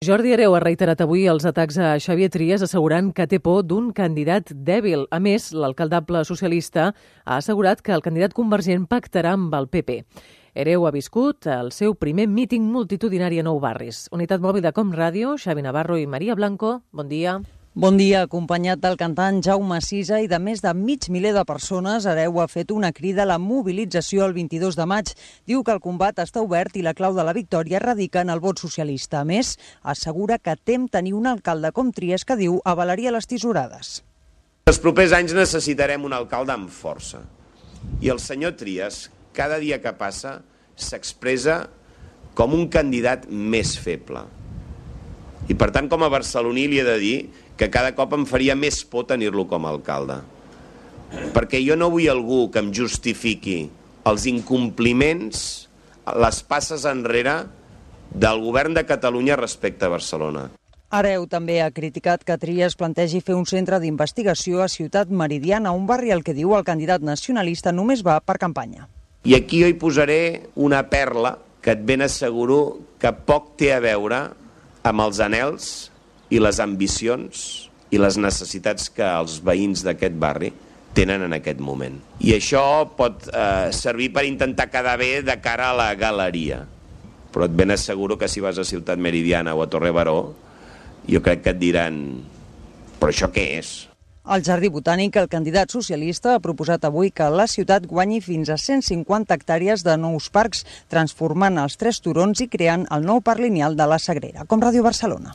Jordi Hereu ha reiterat avui els atacs a Xavier Trias assegurant que té por d'un candidat dèbil. A més, l'alcaldable socialista ha assegurat que el candidat convergent pactarà amb el PP. Hereu ha viscut el seu primer míting multitudinari a Nou Barris. Unitat mòbil de Com Ràdio, Xavi Navarro i Maria Blanco, bon dia. Bon dia, acompanyat del cantant Jaume Sisa i de més de 500.000 de persones, Hereu ha fet una crida a la mobilització el 22 de maig. Diu que el combat està obert i la clau de la victòria radica en el vot socialista. A més, assegura que tem tenir un alcalde com Trias que diu avalaria les tisorades. Els propers anys necessitarem un alcalde amb força. I el senyor Trias, cada dia que passa, s'expressa com un candidat més feble. I per tant, com a barceloní li he de dir que cada cop em faria més por tenir-lo com a alcalde. Perquè jo no vull algú que em justifiqui els incompliments, les passes enrere del govern de Catalunya respecte a Barcelona. Hereu també ha criticat que Trias plantegi fer un centre d'investigació a Ciutat Meridiana, un barri al que diu el candidat nacionalista només va per campanya. I aquí jo hi posaré una perla que et ben asseguro que poc té a veure amb els anhels i les ambicions i les necessitats que els veïns d'aquest barri tenen en aquest moment. I això pot servir per intentar quedar bé de cara a la galeria. Però et ben asseguro que si vas a Ciutat Meridiana o a Torre Baró, jo crec que et diran «però això què és?». Al Jardí Botànic, el candidat socialista ha proposat avui que la ciutat guanyi fins a 150 hectàrees de nous parcs, transformant els 3 turons i creant el nou parc lineal de la Sagrera. Com Ràdio Barcelona.